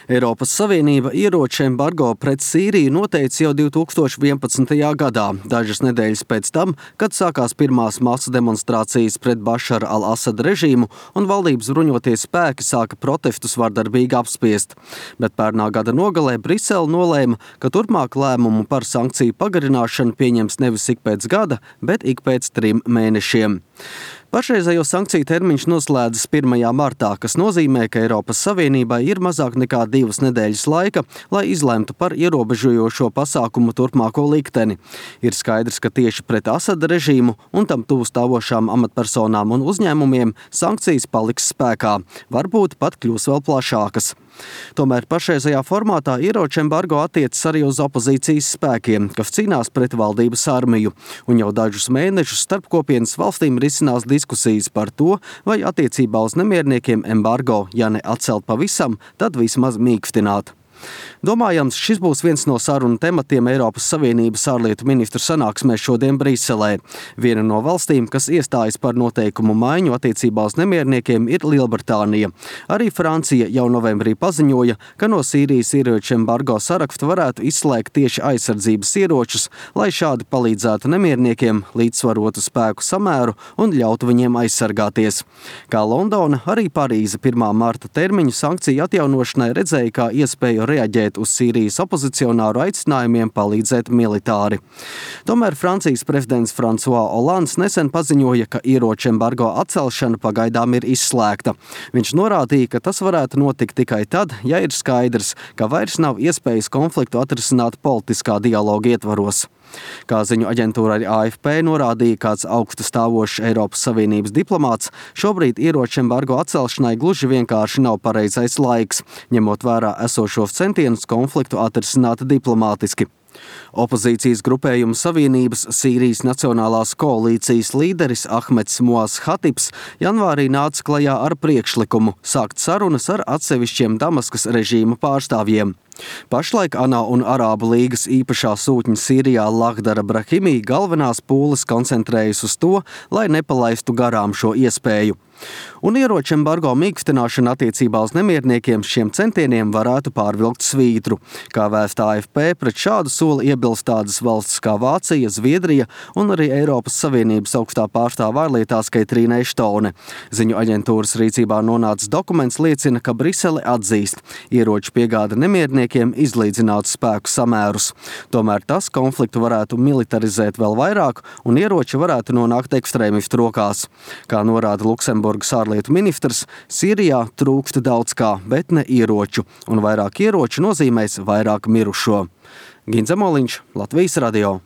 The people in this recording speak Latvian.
Eiropas Savienība ieroču embargo pret Sīriju noteica jau 2011. gadā, dažas nedēļas pēc tam, kad sākās pirmās masu demonstrācijas pret Bašara al-Asada režīmu un valdības bruņotie spēki sāka protestus vardarbīgi apspiest. Bet pērnā gada nogalē Brisele nolēma, ka turpmāk lēmumu par sankciju pagarināšanu pieņems nevis ik pēc gada, bet ik pēc 3 mēnešiem. Pašreizējo sankciju termiņš noslēdzas 1. martā, kas nozīmē, ka Eiropas Savienībai ir mazāk nekā 2 nedēļas laika, lai izlemtu par ierobežojošo pasākumu turpmāko likteni. Ir skaidrs, ka tieši pret Asada režīmu un tam tuvu stāvošām amatpersonām un uzņēmumiem sankcijas paliks spēkā, varbūt pat kļūs vēl plašākas. Tomēr pašreizajā formātā ieroču embargo attiecas arī uz opozīcijas spēkiem, kas cīnās pret valdības armiju, un jau dažus mēnešus starp kopienas valstīm risinās diskusijas par to, vai attiecībā uz nemierniekiem embargo, ja ne atcelt pavisam, tad vismaz mīkstināt. Domājams, šis būs viens no sarunu tematiem Eiropas Savienības ārlietu ministru sanāksmē šodien Briselē. Viena no valstīm, kas iestājas par noteikumu maiņu attiecībā uz nemierniekiem, ir Lielbritānija. Arī Francija jau novembrī paziņoja, ka no Sīrijas ieroču embargo saraksta varētu izslēgt tieši aizsardzības ieročus, lai šādi palīdzētu nemierniekiem, līdzsvarotu spēku samēru un ļautu viņiem aizsargāties. Kā Londona, arī Parīze 1. marta termiņu sankciju atjaunošanai redzēja kā iespēju reaģēt uz Sīrijas opozicionāru aicinājumiem palīdzēt militāri. Tomēr Francijas prezidents François Hollands nesen paziņoja, ka ieroču embargo atcelšana pagaidām ir izslēgta. Viņš norādīja, ka tas varētu notikt tikai tad, ja ir skaidrs, ka vairs nav iespējas konfliktu atrisināt politiskā dialoga ietvaros. Kā ziņu aģentūra AFP norādīja kāds augstu stāvošs Eiropas Savienības diplomāts, šobrīd ieroču embargo atcelšanai gluži vienkārši nav pareizais laiks, ņemot vērā esošos centienus konfliktu atrisināt diplomātiski. Opozīcijas grupējuma Savienības Sīrijas Nacionālās koalīcijas līderis Ahmeds Moaz Hatibs janvārī nāca klajā ar priekšlikumu sākt sarunas ar atsevišķiem Damaskas režīma pārstāvjiem. Pašlaik ANO un Arābu līgas īpašā sūtņa Sīrijā Lahdara Brahimī galvenās pūles koncentrējas uz to, lai nepalaistu garām šo iespēju. Un ieroču embargo mīkstināšana attiecībā uz nemierniekiem šiem centieniem varētu pārvilkt svītru. Kā vēsta AFP, pret šādu soli iebilst tādas valstis kā Vācija, Zviedrija un arī Eiropas Savienības augstā pārstāvja ārlietās Katrīna Eštone. Ziņu aģentūras rīcībā nonācis dokuments liecina, ka Brisele atzīst, ieroču piegāde nemierniekiem izlīdzinātu spēku samērus. Tomēr tas konfliktu varētu militarizēt vēl vairāk un ieroči varētu nonākt ekstrēmistu rokās. Kā norāda Luksemburgas ārlietu ministrs, Sīrijā trūkst daudz kā, bet ne ieroču, un vairāk ieroču nozīmēs vairāk mirušo. Ginza Moliņš, Latvijas radio.